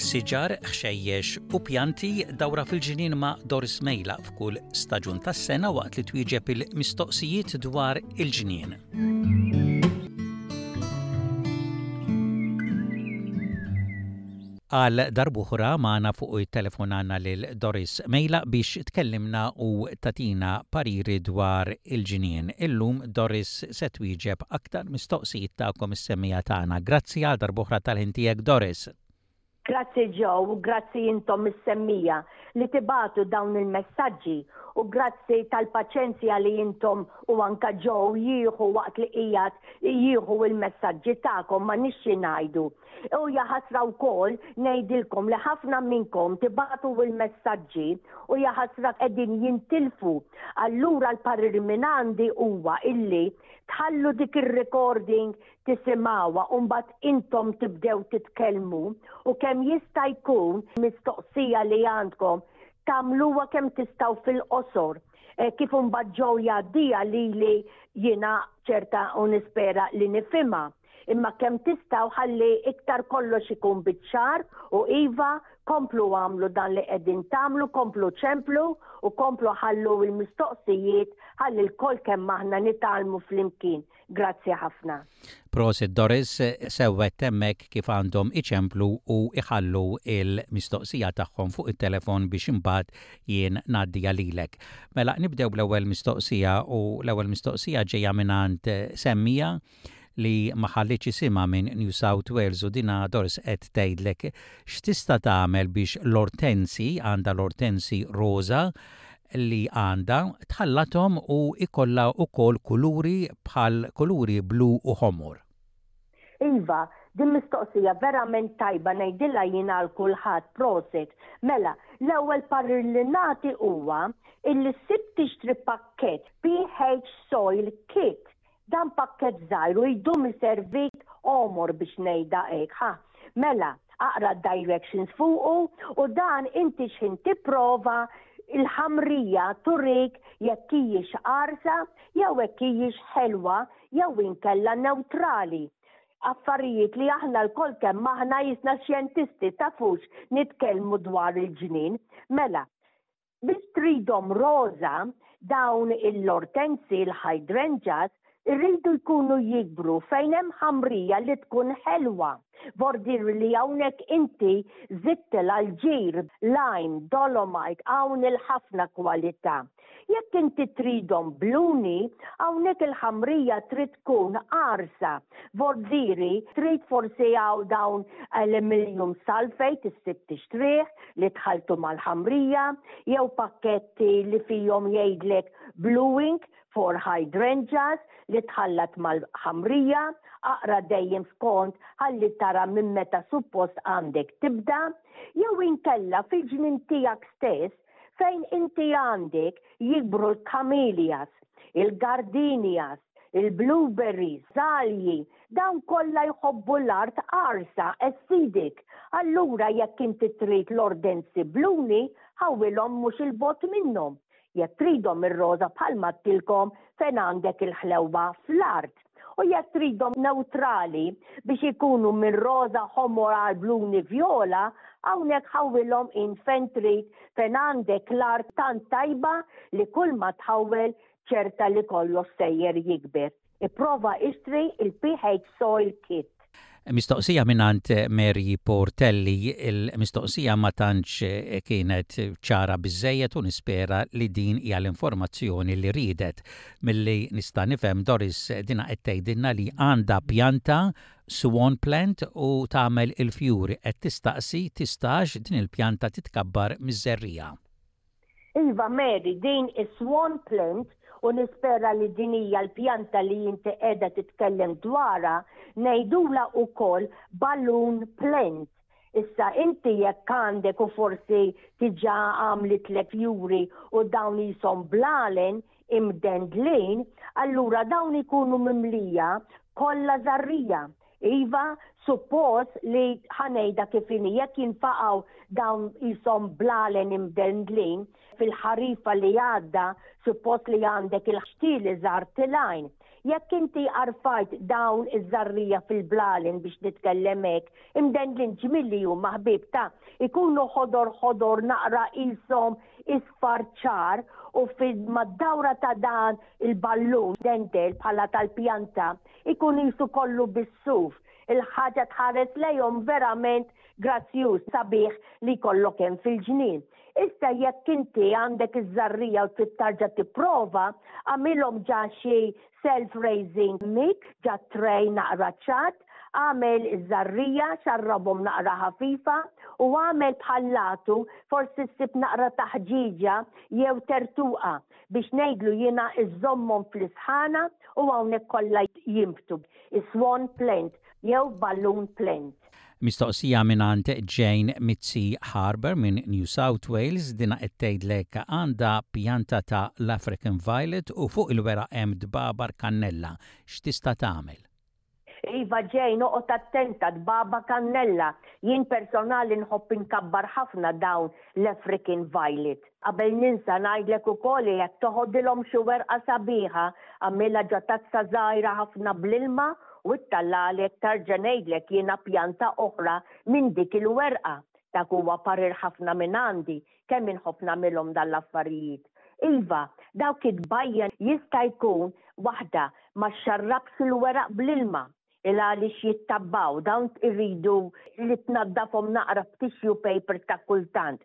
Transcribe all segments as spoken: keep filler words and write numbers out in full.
Siġar, ħxejjex u pjanti dawra fil-ġnien ma' Doris Mejla f'kull staġun tas-sena waqt li twieġeb il-mistoqsijiet dwar il-ġnien. Għal darb'oħra magħna fuq it-telefon għandna lil Doris Mejla biex tkellimna u tagħtina pariri dwar il-ġnien. Illum Doris se twieġeb aktar mistoqsijiet tagħkom is-semmiegħa tagħna. Grazzi għal darb'oħra tal-ħin tiegħek Doris. Grazzi Joe u grazzi intom is-semmiegħa li tibagħtu dawn il-messaġġi u grazzi tal-paċenzja li intom u anka Joe jieħu waqt li qiegħed jieħu il-messaġġi tagħkom ma nixxi ngħidu. U jaħasra wkoll ngħidilkom li ħafna minnkom tibagħtu il-messaġġi u jaħasra qegħdin jintilfu. Allura l-parir minn għandi huwa illi tħallu dik ir-recording tisimgħuha u mbagħad intom tibdew titkellmu u kemm jista' jkun mistoqsija li għandkom tagħmluha kemm tistgħu fil-qosor. Eh, kif imbagħad Joe jgħaddiha lili jiena ċerta u nispera li nifhimha. Imma kemm tistgħu ħalli iktar kollox ikun biċ-ċar u iva komplu għamlu dan li qegħdin tagħmlu, komplu ċemplu u komplu ħallu l-mistoqsijiet ħalli lkoll kemm aħna nitgħallmu flimkien. Grazzi ħafna. Prosit Doris, sewwet hemmhekk kif għandhom iċemplu u iħallu il-mistoqsija tagħhom fuq it-telefon biex imbagħad jien ngħaddiha lilek. Mela nibdew bl-ewwel mistoqsija u l-ewwel mistoqsija ġejja mingħand semmiegħa li ma ħallitx isimha minn New South Wales u dina Doris qed tgħidlek x'tista' tagħmel biex l-ortensi, għandha l-ortensi roża li għandha, tħallathom u ikollha wkoll kuluri bħal kuluri blu u ħomor. Iva, din mistoqsija verament tajba ngħidilha jiena għal kulħadd, prosit. Mela, l-ewwel parir li nagħti huwa illi ssib tixtri pakkett P H Soil Kit. Dan pakkett żgħir u jdum iservik għomor biex ngħidha hekk, ha. Mela, aqra directions fuqu u dan inti x'ħin tipprova il-ħamrija turik jekk hijiex qarsa jew jekk hijiex ħelwa jew inkella neutrali. Affarijiet li aħna lkoll kemm aħna jisna xjentisti tafux nitkellmu dwar il-ġnien. Mela, biex tridhom roża dawn il-ortensi, il-hydrangeas, irridu jkunu jikbru fejn hemm ħamrija li tkun ħelwa. Vordir li hawnhekk inti żidtilha l-ġir, lime, dolomite, hawn il-ħafna kwalità. Jekk inti tridhom bluni, hawnhekk il-ħamrija trid tkun qarsa. Vordiri trid forsi hawn dawn aluminium sulfate issib tixtrih li tħaltu mal-ħamrija, jew pakketti li fihom jgħidlek bluing for hydrangeas li tħallat mal-ħamrija, aqra dejjem skont ħalli tara minn meta suppost għandek tibda, jew inkella fil-ġnien tiegħek stess fejn inti għandek jikbru l-camellias, il-gardenias, il-blueberries, zalji, dawn kollha jħobbu l-art qarsa, acidic. Allura jekk inti trid l-ortensi bluni, ħawwilhom mhux il-bogħod minnhom. Jekk tridhom ir-roża bħalma għedtilkom fejn għandek il-ħlewwa fl-art. U jekk tridhom neutrali biex ikunu minn roża ħomor għal bluni viola, hawnhekk ħawwilhom in fejn trid fejn għandek l-art tant tajba li kull ma tħawwel ċerta li kollox sejjer jikber. Ipprova ixtri il-P H Soil Kit. Mistoqsija mingħand Mary Portelli, il-mistoqsija ma tantx kienet ċara biżejjed u nispera li din hija l-informazzjoni li ridet. Milli nista' nifhem Doris dina qed tgħidilna li għandha pjanta swan plant u tagħmel il-fjuri, qed tistaqsi tistax din il-pjanta titkabbar miż-żerriegħa. Iva Mary, din is-swan plant u nispera li din hija l-pjanta li inti qiegħda titkellem dwarha, ngħidula wkoll balloon plant. Issa inti jekk għandek u forsi diġà għamlitlek fjuri u dawn jisom blalen imdendlin, allura dawn ikunu mimlija kollha żerriegħa. Iva, suppost li ħa ngħidha kif inhi jekk jinfaqgħu dawn jisom blalen imdendlin fil-ħarifa li għadda, suppost li għandek il-ħxtili żgħar tilgħin. Jekk inti għarfajt dawn iż-żarrija fil-blalen, biex nitkellem hekk, imdendlin ġmiel huma, ħbieb, ta' ikunu ħodor ħodor naqra qishom isfar ċar u mad-dawra ta' dan il-ballun dendel bħala tal-pjanta ikun qisu kollu bis-suf. Il-ħaġa tħares lejhom verament grazzjuż, sabiħ li jkollok hemm fil-ġnien. Issa jekk inti għandek iż-żarrija u trid tarġa' tipprova, għamilhom ġa xi self-raising mix, ġa tray naqra ċatt, għamel iż-żarrija, xarrabhom naqra ħafifa u għamel bħallatu, forsi ssib naqra taħġiġa jew tertuqa, biex ngħidlu jiena, iżommhom fl-isħana u hawnhekk kollha jinbtu. Swan plant jew balloon plant. Mistoqsija mingħand Jane Mitzi Harbour minn New South Wales. Dina qed tgħidlek għandha pjanta ta' l-African Violet u fuq il-weraq hemm dbabar kannella. X'tista' tagħmel? Iva Jane, oqgħod attenta, dbaba kannella. Jien personali nħobb inkabbar ħafna dawn l-African Violet. Qabel ninsa ngħidlek ukoll, jekk toħodilhom xi werqa sabiħa, għamilha ġo tazza żgħira ħafna bl-ilma u ttellagħlek, tarġa' ngħidlek jiena, pjanta oħra minn dik il-werqa. Dak huwa parir ħafna minn għandi, kemm inħobb nagħmilhom dan l-affarijiet. Iva, dawk id-bajja jista' jkun waħda ma xarrabx il-weraq bl-ilma il għaliex jittabbaw, dawn irridu li tnaddafhom naqra b'tissue paper ta' kultant.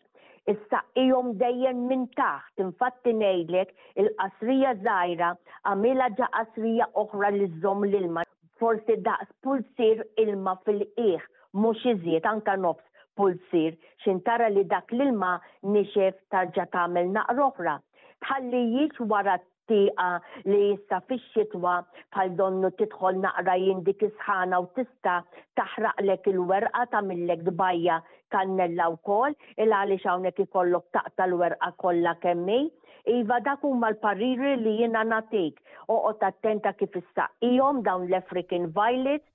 Issaqqihom dejjem minn taħt, infatti ngħidlek il-qasrija żgħira għamilha ġa qasrija oħra li żżomm l-ilma, forsi daqs pulsir ilma fil-qiegħ, mhux iżjed, anka nofs pulsir, x'ħin tara li dak l-ilma nixef tarġa' tagħmel naqra oħra. Tħallijiex wara tieqa li issa fix-xitwa bħal donnu tidħol naqra jien dik isħana u tista' taħraqlek il-werqa, tagħmillek dbajja kannella wkoll, il għaliex hawnhekk ikollok taqta' l-werqa kollha kemm hi. Iva, dak huma l-pariri li jiena nagħtik. Oqgħod attenta kif issaqqihom dawn l-African Violets,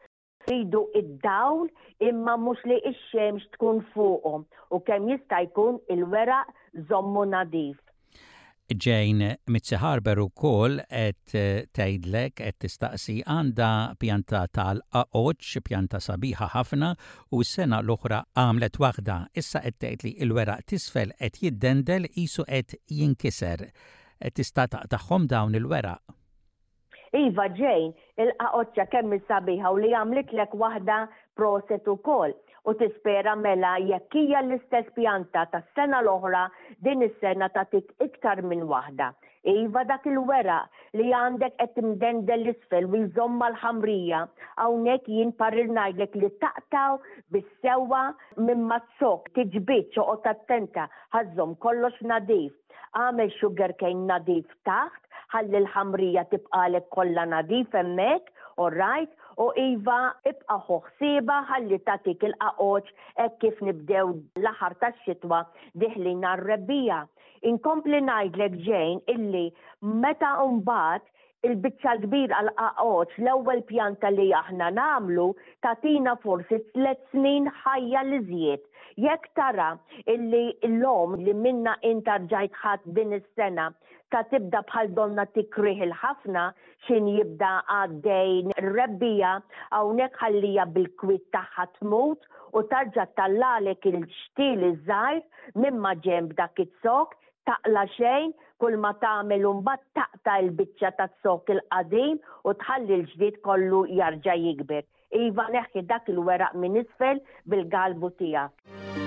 ridu id-dawl imma mhux li x-xemx tkun fuqhom u kemm jista' jkun il-weraq żommu nadif. Jane Mitzi Harbour ukoll qed tgħidlek, qed tistaqsi, għandha pjanta tal-qaqoċ, pjanta sabiħa ħafna, u s-sena l-oħra għamlet waħda. Issa qed tgħid li l-weraq t'isfel qed jiddendel, qisu qed jinkiser. Tista' taqtagħhom dawn il-weraq? Iva Jane, il-qaqoċċa kemm sabiħa u li għamlitlek waħda, proset ukoll, u tispera mela jekk hija l-istess pjanta tas-sena l-oħra, din is-sena tagħtik iktar minn waħda. Iva, dak il-weraq li għandek qed imdendel l-isfel u jżomm mal-ħamrija, hawnhekk jien parir ngħidlek li taqtaw bis-sewwa minn maz-zokk, tiġbidx, oqgħod attenta, ħa żżomm kollox nadif. Għamel sugarcane nadif taħt, ħalli l-ħamrija tibqalek kollha nadif hemmhekk, all right? U iva, ibqa' ħsieba ħalli tagħtik il-qaqoċ hekk kif nibdew l-aħħar tax-xitwa deħlin għar-rebbiegħa. Inkompli ngħidlek, Jane, illi meta mbagħad il-biċċa l-kbir għal-qaqoċ, l-ewwel pjanta li aħna nagħmlu tagħtina forsi tliet snin ħajja l-iżjed. Jekk tara illi l-lom li minna inta rġajt ħadd din is-sena ta' tibda bħal donna tikrih il-ħafna x'ħin jibda għaddej rebbiegħa, hawnhekk ħallija bil-kwit tagħha tmut u tarġa' ttellagħlek il-xtil iż-żgħir minn ma ġenb dak iz-zokk, taqla' xejn, kull ma tagħmel mbagħad taqta' l-biċċa taz-zokk il-qadim u tħalli l-ġdid kollu jarġa' jikber. Iva, neħħi dak il-weraq minn isfel bil-galbu tiegħek.